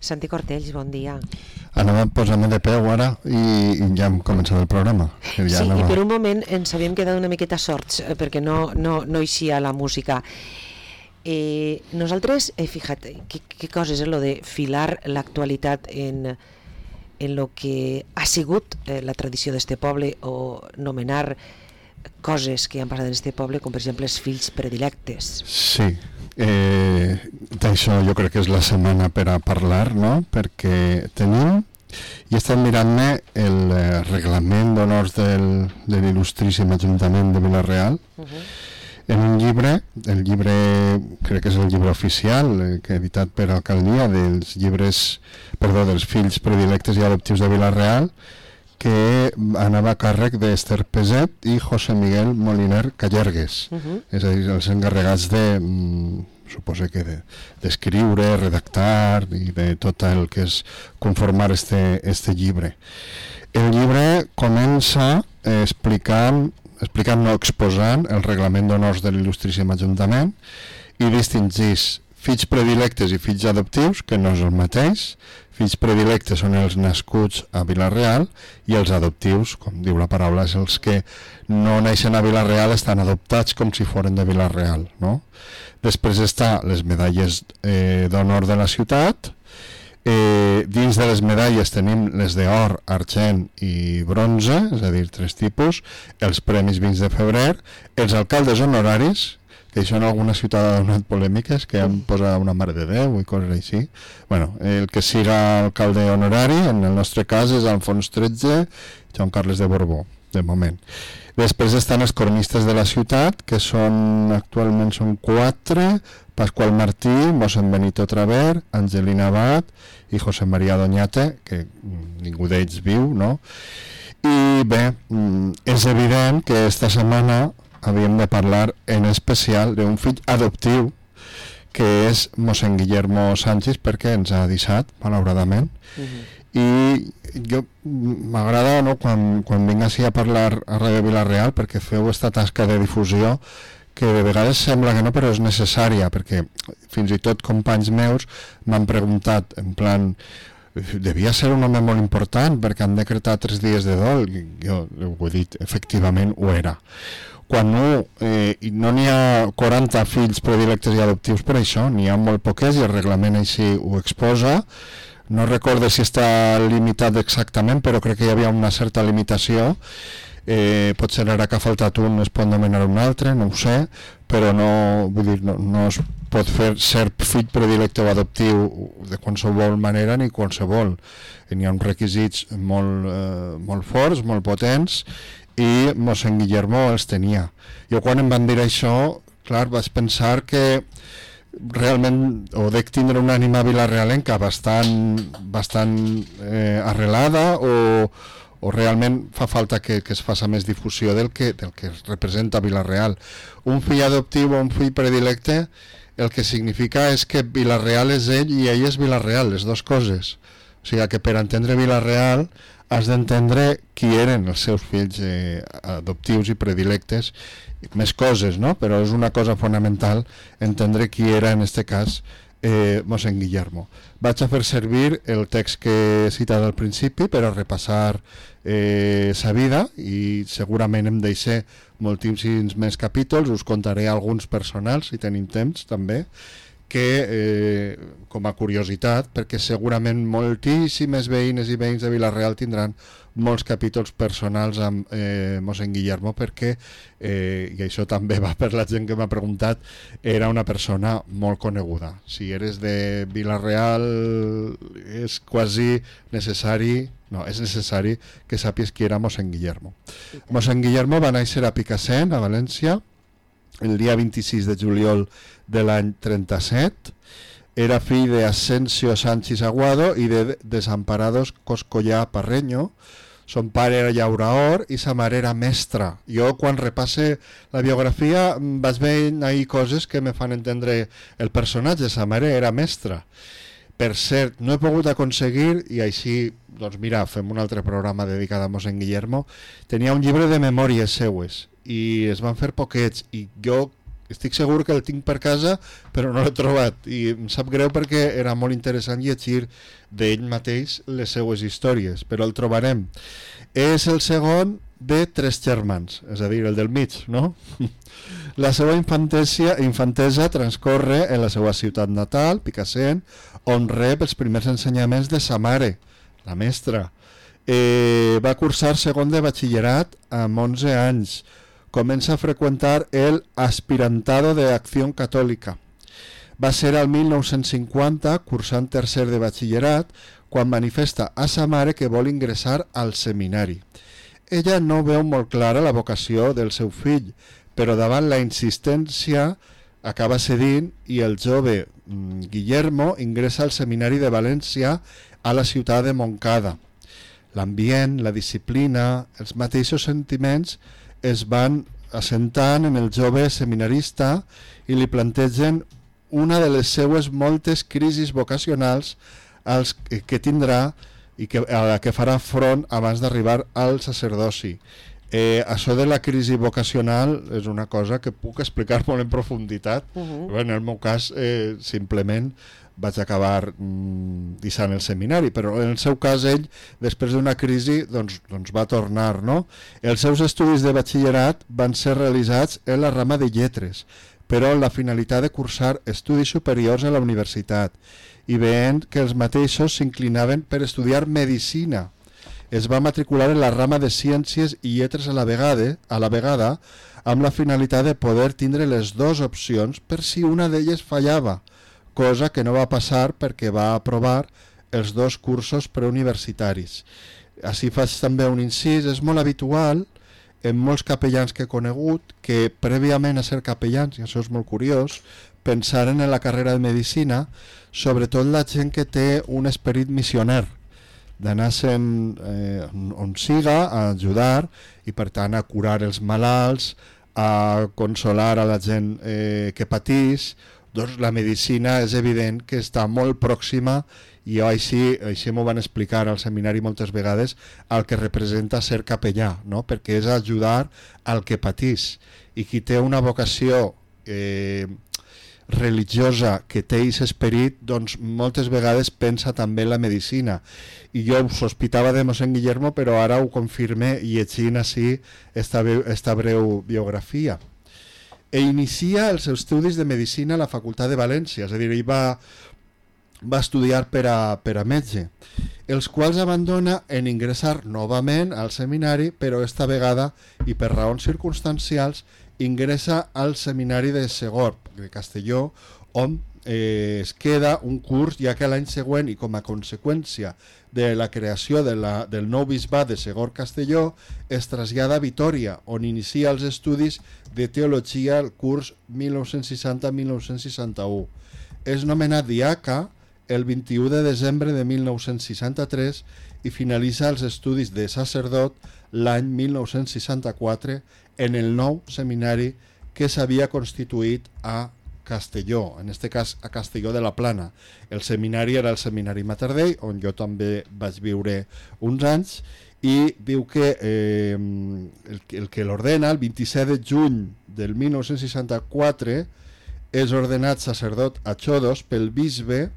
Santi Cortells, bon dia. Anava a posar-me de peu ara i ja hem començat el programa. Sí, i per un moment ens havíem quedat una miqueta sorts perquè no eixia la música. Nosaltres, fíjate, qué coses es lo de filar l'actualitat en lo que ha sigut la tradició d'este poble o nomenar coses que han passat en este poble, com per exemple els fills predilectes. Sí, d'això jo crec que és la setmana per a parlar, no? Perquè tenim, i estem mirant-me el reglament d'honors de l'il·lustríssim Ajuntament de Vila-real, en un llibre, el llibre crec que és el llibre oficial que editat per Alcaldia dels fills predilectes i adoptius de Vila-real, que anava a càrrec d'Ester Peset i José Miguel Moliner Callergues, és a dir, els encarregats suposo que d'escriure, redactar i de tot el que és conformar este llibre. El llibre comença exposant el reglament d'honors de l'il·lustríssim Ajuntament i distingís fills predilectes i fills adoptius, que no és el mateix. Fills predilectes són els nascuts a Vila-real i els adoptius, com diu la paraula, és els que no neixen a Vila-real, estan adoptats com si foren de Vila-real, no? Després està les medalles d'honor de la ciutat. Dins de les medalles tenim les d'or, argent i bronze, és a dir, 3 tipus, els premis 20 de febrer, els alcaldes honoraris, que això en alguna ciutat ha donat polèmiques, que han posat una Mare de Déu i coses així. Bueno, el que siga alcalde honorari, en el nostre cas és Alfons XIII, Joan Carles de Borbó, de moment. Després estan els cronistes de la ciutat, que actualment són 4, Pasqual Martí, mossèn Benito Traver, Angelina Abad i José María Doñate, que ningú d'ells viu, no? I bé, és evident que esta setmana havíem de parlar en especial d'un fill adoptiu que és mossèn Guillermo Sánchez, perquè ens ha deixat, malauradament. I jo m'agrada, no, quan vinc així a parlar a Ràdio Vila-real, perquè feu esta tasca de difusió que de vegades sembla que no, però és necessària, perquè fins i tot companys meus m'han preguntat en plan, devia ser un home molt important perquè han decretat 3 dies de dol. Jo ho he dit, efectivament ho era. Quan no n'hi ha 40 fills predilectes i adoptius per això, n'hi ha molt poques i el reglament així ho exposa. No recordo si està limitat exactament, però crec que hi havia una certa limitació. Potser ara que ha faltat un es pot nomenar un altre, no ho sé, però no es pot ser fill predilecte o adoptiu de qualsevol manera ni qualsevol. N'hi ha uns requisits molt forts, molt potents, i mossèn Guillermo els tenia. Jo quan em van dir això, clar, vaig pensar que realment dec tindre una ànima vilarealenca bastant arrelada o realment fa falta que es faça més difusió del que representa Vila-real. Un fill adoptiu o un fill predilecte el que significa és que Vila-real és ell i ell és Vila-real, les dues coses. O sigui que per entendre Vila-real has d'entendre qui eren els seus fills adoptius i predilectes, més coses, no? Però és una cosa fonamental entendre qui era en aquest cas mossèn Guillermo. Vaig a fer servir el text que he citat al principi per a repassar sa vida i segurament em deixé moltíssims més capítols, us contaré alguns personals si tenim temps també, que com a curiositat, perquè segurament moltíssimes veïnes i veïns de Vila-real tindran molts capítols personals amb mossèn Guillermo, perquè i això també va per la gent que m'ha preguntat, era una persona molt coneguda. Si eres de Vila-real és quasi necessari, és necessari que sàpies qui era mossèn Guillermo. Mossèn Guillermo va néixer a Picassent, a València, el dia 26 de juliol de l'any 37. Era fill de Asensio Sánchez Aguado i de Desamparados Coscollà Parreño. Son pare era llauraor i sa mare era mestra. Jo quan repasse la biografia vaig veient ahí coses que me fan entendre el personatge. Sa mare era mestra. Per cert, no he pogut aconseguir, i així, doncs mira, fem un altre programa dedicat a mossèn Guillermo, tenia un llibre de memòries seues i es van fer poquets i jo estic segur que el tinc per casa, però no l'he trobat, i em sap greu perquè era molt interessant llegir d'ell mateix les seues històries, però el trobarem. És el segon de 3 germans, és a dir, el del mig, no? La seva infantesa transcorre en la seva ciutat natal, Picassent, on rep els primers ensenyaments de sa mare, la mestra. Va cursar segon de batxillerat amb 11 anys. Comença a freqüentar el Aspirantado de Acción Católica. Va ser al 1950, cursant tercer de batxillerat, quan manifesta a sa mare que vol ingressar al seminari. Ella no veu molt clara la vocació del seu fill, però davant la insistència acaba cedint i el jove Guillermo ingressa al seminari de València a la ciutat de Montcada. L'ambient, la disciplina, els mateixos sentiments es van assentant en el jove seminarista i li plantegen una de les seues moltes crisis vocacionals que tindrà i a la que farà front abans d'arribar al sacerdoci. Això de la crisi vocacional és una cosa que puc explicar molt en profunditat. En el meu cas simplement vaig acabar deixant el seminari, però en el seu cas ell, després d'una crisi, doncs va tornar, no? Els seus estudis de batxillerat van ser realitzats en la rama de lletres, però amb la finalitat de cursar estudis superiors a la universitat, i veient que els mateixos s'inclinaven per estudiar medicina. Es va matricular en la rama de ciències i lletres a la vegada, amb la finalitat de poder tindre les dues opcions per si una d'elles fallava, cosa que no va passar perquè va aprovar els 2 cursos preuniversitaris. Així faig també un incís, és molt habitual en molts capellans que he conegut que prèviament a ser capellans, i això és molt curiós, pensaren en la carrera de medicina, sobretot la gent que té un esperit missioner, d'anar-se'n on siga a ajudar i per tant a curar els malalts, a consolar a la gent que patís. Doncs la medicina és evident que està molt pròxima, i així m'ho van explicar al seminari moltes vegades, el que representa ser capellà, no? Perquè és ajudar al que patís, i qui té una vocació religiosa que té aquest esperit, doncs moltes vegades pensa també en la medicina. I jo ho sospitava de mossèn Guillermo, però ara ho confirme llegint així esta breu biografia. Inicia els seus estudis de medicina a la Facultat de València, és a dir, ell va estudiar per a metge, els quals abandona en ingressar novament al seminari, però esta vegada, i per raons circumstancials, ingressa al seminari de Segorb, de Castelló, on es queda un curs, ja que l'any següent, i com a conseqüència de la creació del nou bisbat de Segorb-Castelló, es trasllada a Vitòria, on inicia els estudis de teologia al curs 1960-1961. És nomenat diaca el 21 de desembre de 1963 i finalitza els estudis de sacerdot l'any 1964 en el nou seminari que s'havia constituït a Castelló, en aquest cas a Castelló de la Plana. El seminari era el seminari Mater Dei, on jo també vaig viure uns anys, i diu que el que l'ordena, el 27 de juny del 1964, és ordenat sacerdot a Xodos pel bisbe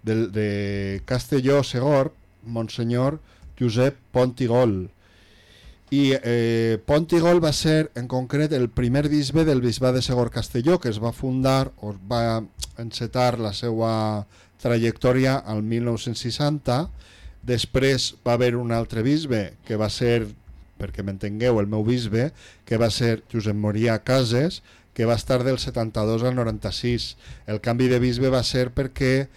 de Castelló Segorb, Monsenyor Josep Pontigol. I Pontigol va ser en concret el primer bisbe del bisbat de Segorb-Castelló, que es va fundar o va encetar la seva trajectòria al 1960. Després va haver un altre bisbe que va ser, perquè m'entengueu, el meu bisbe, que va ser Josep Moria Cases, que va estar del 72 al 96. El canvi de bisbe va ser perquè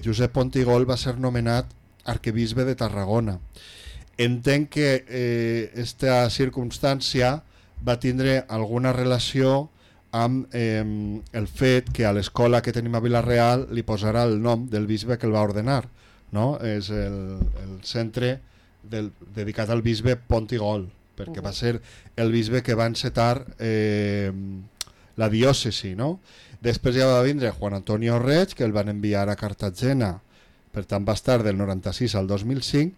Josep Pontigol va ser nomenat arquebisbe de Tarragona. Entenc que aquesta circumstància va tindre alguna relació amb el fet que a l'escola que tenim a Vila-real li posarà el nom del bisbe que el va ordenar, no? És el centre dedicat al bisbe Pontigol, perquè va ser el bisbe que va encetar la diòcesi, no? Després ja va vindre Juan Antonio Reig, que el van enviar a Cartagena, per tant va estar del 96 al 2005,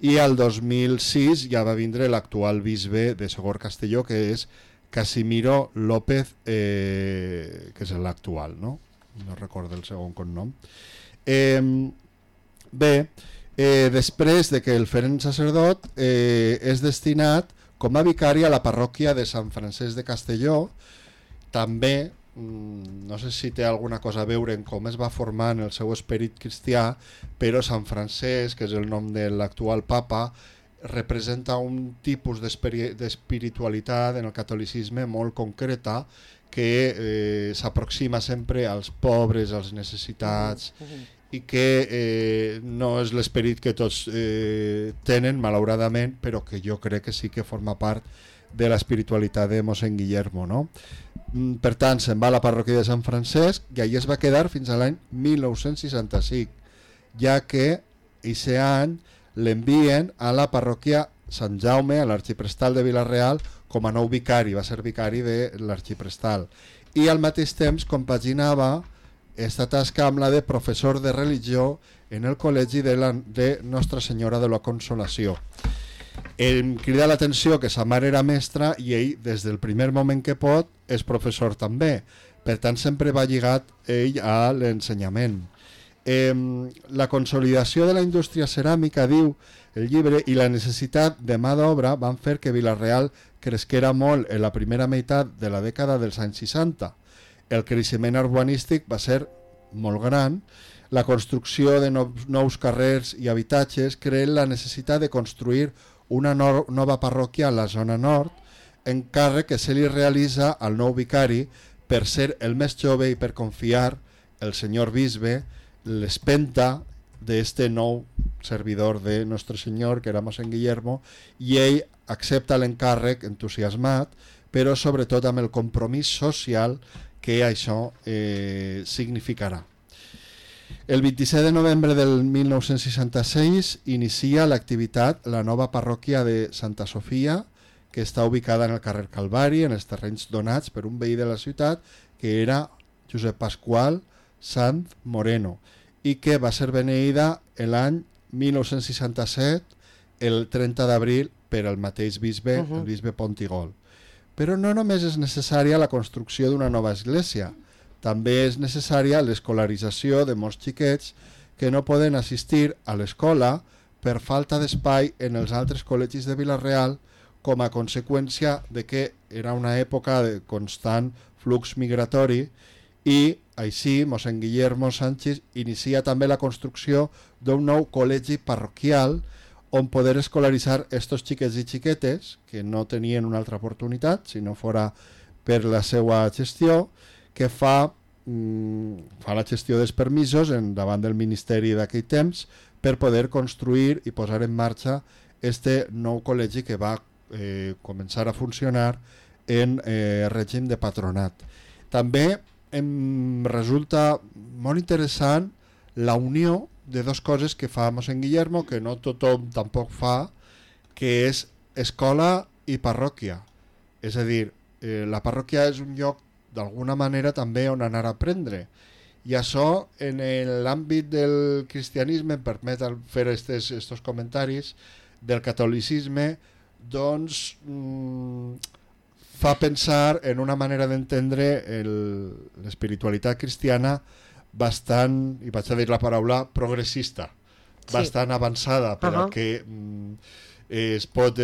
i al 2006 ja va vindre l'actual bisbe de Segorb-Castelló, que és Casimiro López, que és l'actual, no? No recordo el segon cognom. Després de que el feren sacerdot, és destinat com a vicari a la parròquia de Sant Francesc de Castelló. També, no sé si té alguna cosa a veure en com es va formar en el seu esperit cristià, però Sant Francesc, que és el nom de l'actual papa, representa un tipus d'espiritualitat en el catolicisme molt concreta que s'aproxima sempre als pobres, als necessitats, i que no és l'esperit que tots tenen, malauradament, però que jo crec que sí que forma part de l'espiritualitat de mossèn Guillermo, no? Per tant, se'n va a la parròquia de Sant Francesc i allà es va quedar fins a l'any 1965, ja que aquest any l'envien a la parròquia Sant Jaume, a l'arxiprestal de Vila-real, com a nou vicari, va ser vicari de l'arxiprestal. I al mateix temps compaginava esta tasca amb la de professor de religió en el col·legi de Nostra Senyora de la Consolació. Em crida l'atenció que sa mare era mestra i ell, des del primer moment que pot, és professor també. Per tant, sempre va lligat ell a l'ensenyament. La consolidació de la indústria ceràmica, diu el llibre, i la necessitat de mà d'obra van fer que Vila-real cresquera molt en la primera meitat de la dècada dels anys 60. El creixement urbanístic va ser molt gran. La construcció de nous carrers i habitatges creen la necessitat de construir una nova parròquia a la zona nord, encàrrec que se li realitza al nou vicari per ser el més jove i per confiar el senyor bisbe l'espenta d'este nou servidor de Nostre Senyor, que era mossèn Guillermo, i ell accepta l'encàrrec entusiasmat, però sobretot amb el compromís social que això significarà. El 27 de novembre del 1966 inicia l'activitat la nova parròquia de Santa Sofia, que està ubicada en el carrer Calvari, en els terrenys donats per un veí de la ciutat, que era Josep Pasqual Sant Moreno, i que va ser beneïda l'any 1967, el 30 d'abril, per al mateix bisbe, el bisbe Pontigol. Però no només és necessària la construcció d'una nova església, també és necessària l'escolarització de molts xiquets que no poden assistir a l'escola per falta d'espai en els altres col·legis de Vila-real, com a conseqüència de que era una època de constant flux migratori, i així mossèn Guillermo Sánchez inicia també la construcció d'un nou col·legi parroquial on poder escolaritzar estos xiquets i xiquetes que no tenien una altra oportunitat si no fora per la seva gestió, que fa la gestió dels permisos davant del ministeri d'aquell temps per poder construir i posar en marxa este nou col·legi que va començar a funcionar en règim de patronat. També em resulta molt interessant la unió de dues coses que fa mossèn Guillermo, que no tothom tampoc fa, que és escola i parròquia. És a dir, la parròquia és un lloc d'alguna manera també on anar a aprendre. I això, en l'àmbit del cristianisme, em permet fer estos comentaris, del catolicisme, doncs fa pensar en una manera d'entendre l'espiritualitat cristiana bastant, i vaig a dir la paraula, progressista, bastant avançada, però que es pot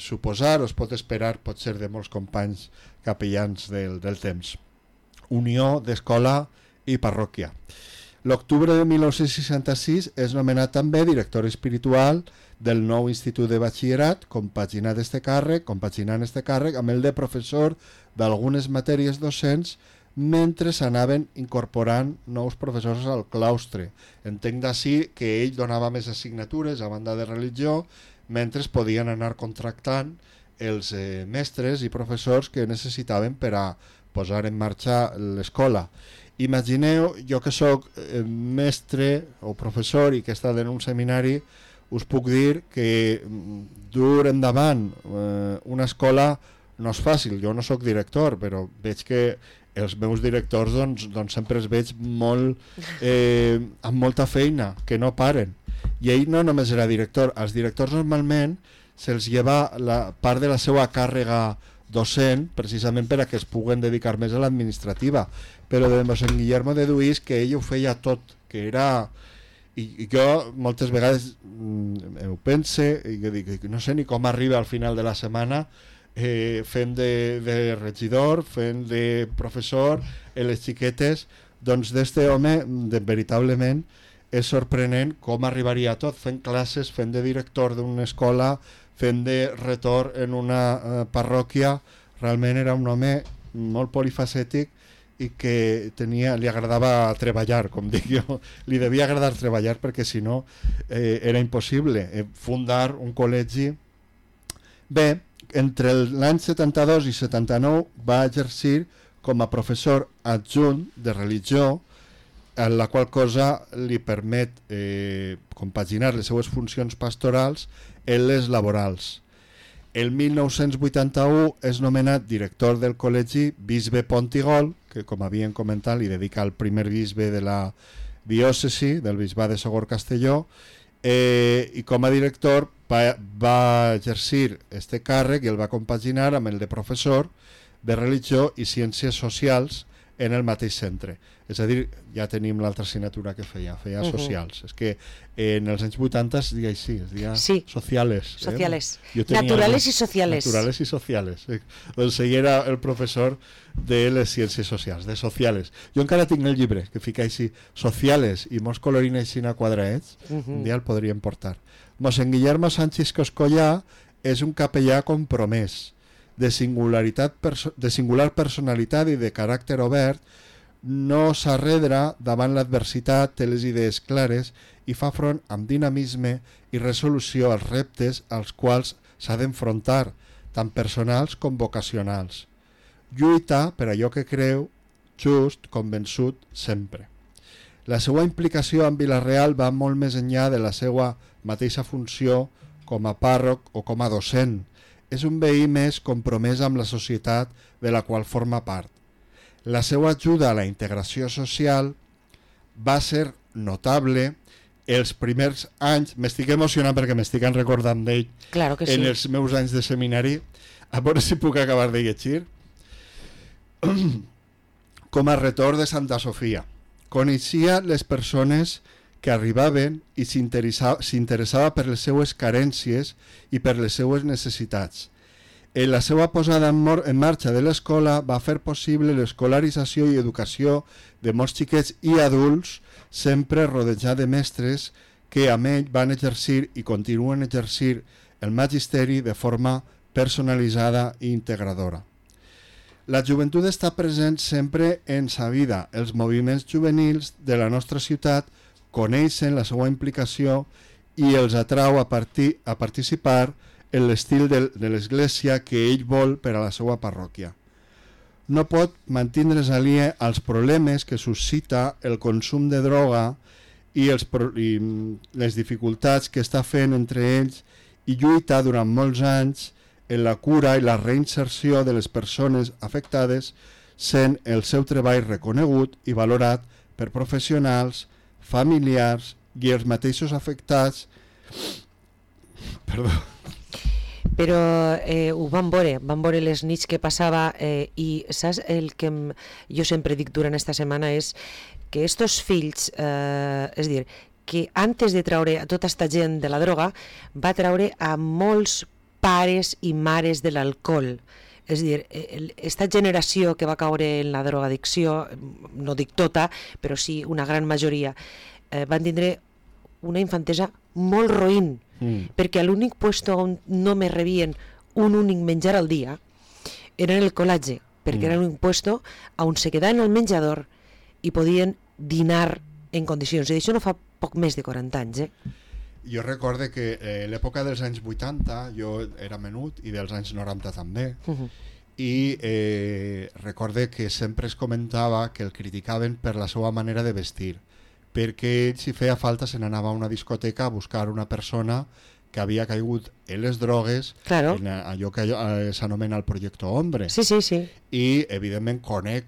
suposar o es pot esperar, pot ser de molts companys capellans del temps. Unió d'escola i parròquia. L'octubre de 1966 és nomenat també director espiritual del nou Institut de Batxillerat, compaginant este càrrec amb el de professor d'algunes matèries docents mentre s'anaven incorporant nous professors al claustre. Entenc d'ací que ell donava més assignatures a banda de religió, mentre es podien anar contractant els mestres i professors que necessitaven per a posar en marxa l'escola. Imagineu, jo que sóc mestre o professor i que he estat en un seminari, us puc dir que dur endavant una escola no és fàcil. Jo no sóc director, però veig que els meus directors doncs sempre els veig molt, amb molta feina, que no paren. I ell no només era director, als directors normalment se'ls lleva la part de la seva càrrega docent, precisament per a que es puguen dedicar més a l'administrativa. Però de mossèn Guillermo deduís que ell ho feia tot, que era... I jo moltes vegades ho pense i dic, no sé ni com arriba al final de la setmana fent de regidor, fent de professor en les xiquetes. Doncs d'este home veritablement és sorprenent com arribaria a tot, fent classes, fent de director d'una escola, fent de retor en una parròquia. Realment era un home molt polifacètic i que li agradava treballar, com dic jo, li devia agradar treballar perquè si no era impossible fundar un col·legi. Bé, entre l'any 72 i 79 va exercir com a professor adjunt de religió, en la qual cosa li permet compaginar les seues funcions pastorals en les laborals. El 1981 és nomenat director del col·legi Bisbe Pontigol, que com havien comentat li dedica al primer bisbe de la diòcesi del bisbat de Sogorb-Castelló, i com a director va exercir este càrrec i el va compaginar amb el de professor de religió i ciències socials en el mateix centre. És a dir, ja tenim l'altra assignatura que feia socials. És que en els anys 80 es deia així, es deia sociales. Sociales. Naturales i sociales. Naturales i sociales. Doncs ell era el professor de les ciències socials, de sociales. Jo encara tinc el llibre, que fica així, sociales, i molts colorin així a quadraets, un dia el podríem portar. Mossèn Guillermo Sánchez Coscollà és un capellà compromès, de singular personalitat i de caràcter obert, no s'arredra davant l'adversitat, té les idees clares i fa front amb dinamisme i resolució als reptes als quals s'ha d'enfrontar, tant personals com vocacionals. Lluita per allò que creu, just, convençut, sempre. La seva implicació amb Vila-real va molt més enllà de la seva mateixa funció com a pàrroc o com a docent. És un veí més compromès amb la societat de la qual forma part. La seva ajuda a la integració social va ser notable els primers anys. M'estic emocionant perquè m'estic recordant d'ell en els meus anys de seminari. A veure si puc acabar de llegir. Com a retor de Santa Sofia. Coneixia les persones que arribaven i s'interessava per les seues carències i per les seues necessitats. En la seva posada en marxa de l'escola va fer possible l'escolarització i educació de molts xiquets i adults, sempre rodejat de mestres que amb ell van exercir i continuen exercir el magisteri de forma personalitzada i integradora. La joventut està present sempre en sa vida. Els moviments juvenils de la nostra ciutat coneixen la seva implicació i els atrau a participar en l'estil de l'església que ell vol per a la seva parròquia. No pot mantindre's aliè als problemes que suscita el consum de droga i les dificultats que està fent entre ells i lluita durant molts anys en la cura i la reinserció de les persones afectades, sent el seu treball reconegut i valorat per professionals, familiars i els mateixos afectats. Però ho vam veure les nits que passava i saps el que jo sempre dic durant esta setmana és que estos fills, és dir, que antes de traure a tota esta gent de la droga va traure a molts pares i mares de l'alcohol. És a dir, esta generació que va caure en la drogadicció, no dic tota, però sí una gran majoria, van tindre una infantesa molt roïn, perquè l'únic puesto on no me rebien un únic menjar al dia era en el col·legi, perquè era l'únic puesto on se quedaven al menjador i podien dinar en condicions, i això no fa poc més de 40 anys. Jo recorde que l'època dels anys 80 jo era menut i dels anys 90 també, i recorde que sempre es comentava que el criticaven per la seva manera de vestir, perquè ell, si feia falta, se n'anava a una discoteca a buscar una persona que havia caigut en les drogues, en allò que s'anomena el projecte Hombre. I, evidentment, conec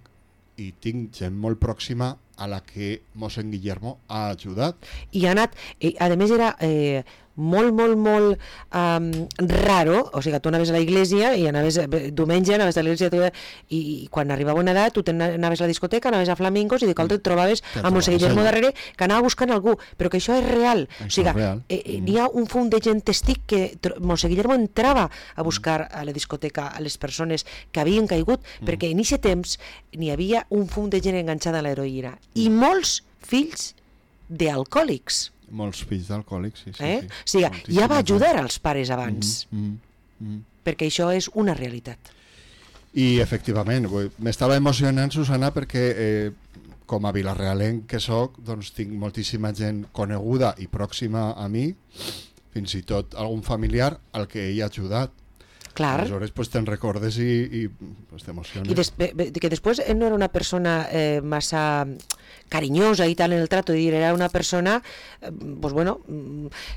i tinc gent molt pròxima a la que mossèn Guillermo ha ajudat. I ha anat, a més era molt, molt, molt raro, o sigui, tu anaves a la iglesia i anaves, diumenge anaves a la iglesia i quan arribava una edat tu anaves a la discoteca, anaves a Flamingos i de cop et trobaves a Montse Guillermo darrere que anava buscant algú, però que això és real, o sigui, n'hi ha un fum de gent testic que Montse Guillermo entrava a buscar a la discoteca a les persones que havien caigut, perquè en aquest temps n'hi havia un fum de gent enganxada a l'heroïna i molts fills d'alcohòlics. Molts fills d'alcohòlics, sí. O sigui, ja va ajudar als pares abans, perquè això és una realitat. I efectivament, m'estava emocionant, Susana, perquè com a vilarealenc que soc, doncs tinc moltíssima gent coneguda i pròxima a mi, fins i tot algun familiar al que he ajudat. Clar. Aleshores pues, te'n recordes i pues, t'emociones. I que després no era una persona massa carinyosa i tal en el trato, era una persona pues, bueno,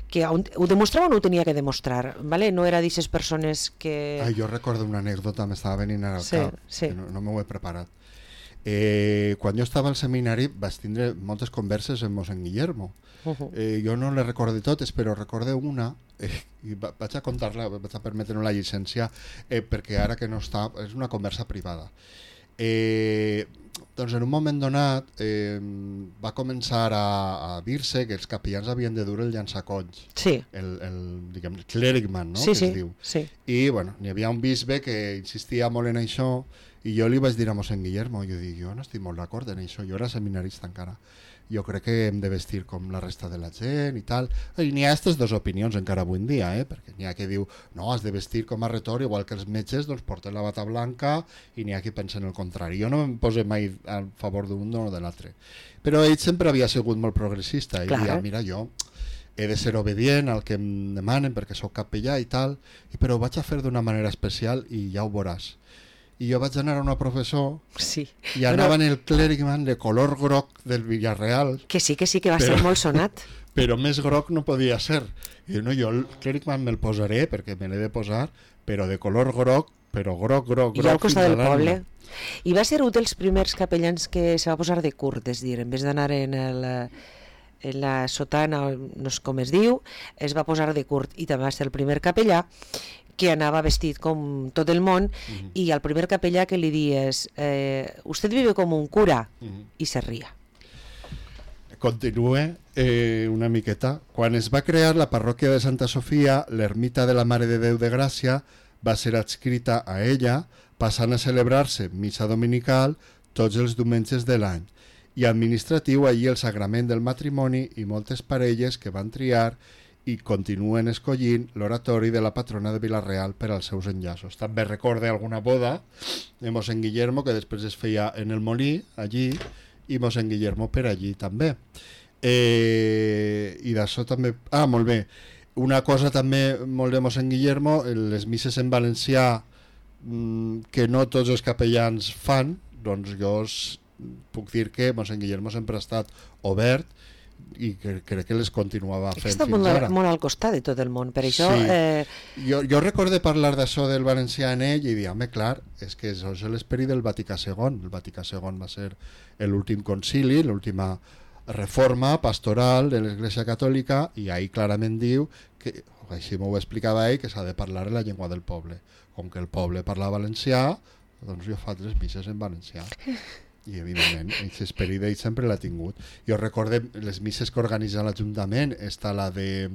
que ho demostrava o no ho tenia que demostrar, ¿vale? No era d'aquestes persones que... Jo recordo una anècdota, m'estava venint al cap, que no m'ho he preparat. Quan jo estava al seminari vaig tindre moltes converses amb mossèn Guillermo. Jo no les recorde totes, però recorde una i vaig a contar-la, vaig a permetre la llicència perquè ara que no està, és una conversa privada. Doncs en un moment donat va començar a dir-se que els capellans havien de dur el llançacolls, el clericman, no? Que es diu. I bueno, n'hi havia un bisbe que insistia molt en això i jo li vaig dir a mossèn Guillermo, jo no estic molt d'acord en això, jo era seminarista encara, jo crec que hem de vestir com la resta de la gent i tal, i n'hi ha aquestes dues opinions encara avui en dia, perquè n'hi ha qui diu no, has de vestir com a retor, igual que els metges doncs porten la bata blanca, i n'hi ha qui pensa en el contrari. Jo no em poso mai a favor d'un o de l'altre, però ell sempre havia sigut molt progressista, i deia, mira, jo he de ser obedient al que em demanen perquè sóc capellà i tal, però ho vaig a fer d'una manera especial i ja ho veuràs. I jo vaig anar a una professor i anava en el clericman de color groc del Villarreal. Que sí, que va ser molt sonat. Però més groc no podia ser. I no, jo el clericman me'l posaré perquè me l'he de posar, però de color groc, però groc. I al costat del poble. I va ser un dels primers capellans que se va posar de curt, és dir, en vez d'anar en la sotana, no sé com es diu, es va posar de curt i també va ser el primer capellà que anava vestit com tot el món i al primer capellà que li dies usted vive com un cura i se ria. Continue una miqueta. Quan es va crear la parròquia de Santa Sofia, l'ermita de la Mare de Déu de Gràcia va ser adscrita a ella, passant a celebrar-se missa dominical tots els diumenges de l'any i administratiu allí el sagrament del matrimoni i moltes parelles que van triar i continuen escollint l'oratori de la patrona de Vila-real per als seus enllaços. També recorde alguna boda de mossèn Guillermo que després es feia en el Molí, allí, i mossèn Guillermo per allí també. I d'això també... molt bé. Una cosa també molt de mossèn Guillermo, les misses en valencià que no tots els capellans fan, doncs jo puc dir que mossèn Guillermo sempre ha estat obert i crec que les continuava fent fins ara. Està molt al costat de tot el món, per això... Sí. Jo recordo parlar d'això del valencià en ell i dir, home, clar, és que això és l'esperit del Vaticà II. El Vaticà II va ser l'últim concili, l'última reforma pastoral de l'Església Catòlica i ahí clarament diu que, així m'ho explicava ell, que s'ha de parlar en la llengua del poble. Com que el poble parla valencià, doncs jo faig les misses en valencià. I evidentment aquest esperit ell sempre l'ha tingut. Jo recorde les misses que organitza l'Ajuntament, la de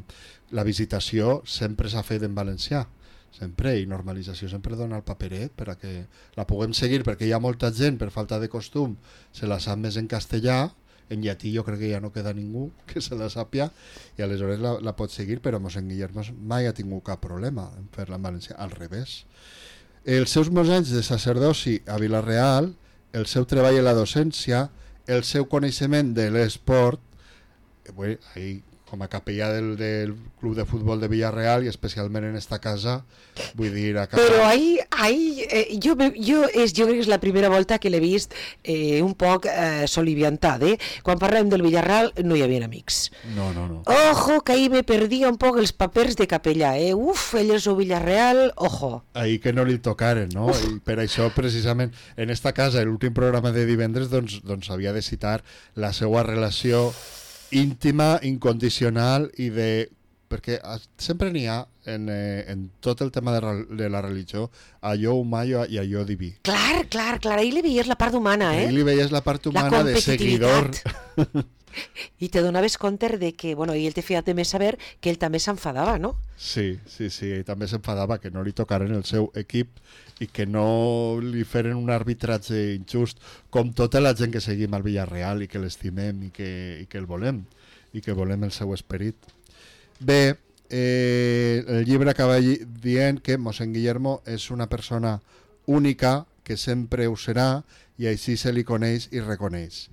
la visitació sempre s'ha fet en valencià, sempre, i normalització sempre dona el paperet per a que la puguem seguir, perquè hi ha molta gent per falta de costum se la sap més en castellà, en llatí jo crec que ja no queda ningú que se la sàpia i aleshores la pot seguir, però mossèn Guillermo mai ha tingut cap problema en fer-la en valencià, al revés. Els seus molts anys de sacerdoci a Vila-real, el seu treball en la docència, el seu coneixement de l'esport, ahí, com a capellà del club de futbol de Villarreal i especialment en esta casa, vull dir... Però ahí jo crec que és la primera volta que l'he vist un poc soliviantat, Quan parlàvem del Villarreal no hi havia amics. No. Ojo, que ahí me perdia un poc els papers de capellà, Uf, ell és el Villarreal, ojo. Ahí que no li tocaren, no? I per això, precisament, en esta casa, l'últim programa de divendres, doncs havia de citar la seva relació íntima, incondicional i de perquè sempre n'hi ha en tot el tema de la religió allò humà i allò diví. Clar, ahir li veies la part humana, Ahir li veies la part humana de seguidor. I te donaves compte de que, i ell te feia també saber que ell també s'enfadava, no? Sí, ell també s'enfadava que no li tocaren el seu equip i que no li feren un arbitratge injust, com tota la gent que seguim al Villarreal i que l'estimem i que el volem, i que volem el seu esperit. Bé, el llibre acaba dient que mossèn Guillermo és una persona única, que sempre ho serà, i així se li coneix i reconeix.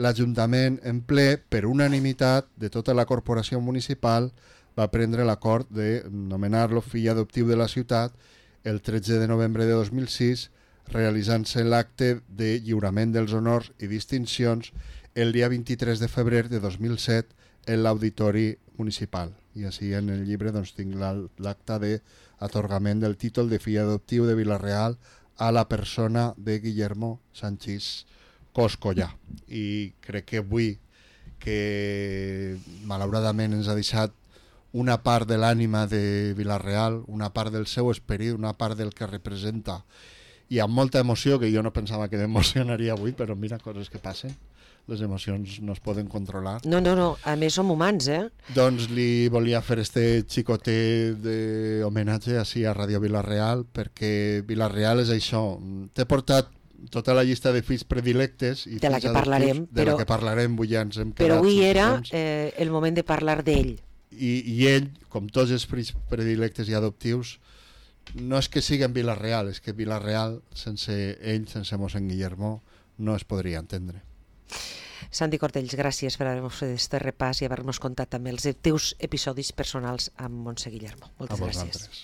L'Ajuntament, en ple, per unanimitat de tota la corporació municipal, va prendre l'acord de nomenar-lo fill adoptiu de la ciutat el 13 de novembre de 2006, realitzant-se l'acte de lliurament dels honors i distincions el dia 23 de febrer de 2007 en l'Auditori Municipal. I així en el llibre tinc l'acte d'atorgament del títol de fill adoptiu de Vila-real a la persona de Guillermo Sanchis Coscollà. I crec que avui, que malauradament ens ha deixat una part de l'ànima de Vila-real, una part del seu esperit, una part del que representa, i amb molta emoció, que jo no pensava que m'emocionaria avui, però mira, coses que passen, les emocions no es poden controlar. No, a més som humans, Doncs li volia fer este xicotet d'homenatge així a Ràdio Vila-real, perquè Vila-real és això. T'he portat tota la llista de fills predilectes i de la que parlarem, la que parlarem, avui ja ens hem quedat. Però avui era el moment de parlar d'ell. I ell, com tots els fills predilectes i adoptius, no és que siguin Vila-real, és que Vila-real, sense ell, sense mossèn Guillermo, no es podria entendre. Santi Cortells, gràcies per haver-nos fet aquest repàs i haver-nos contat també els teus episodis personals amb mossèn Guillermo. Moltes gràcies.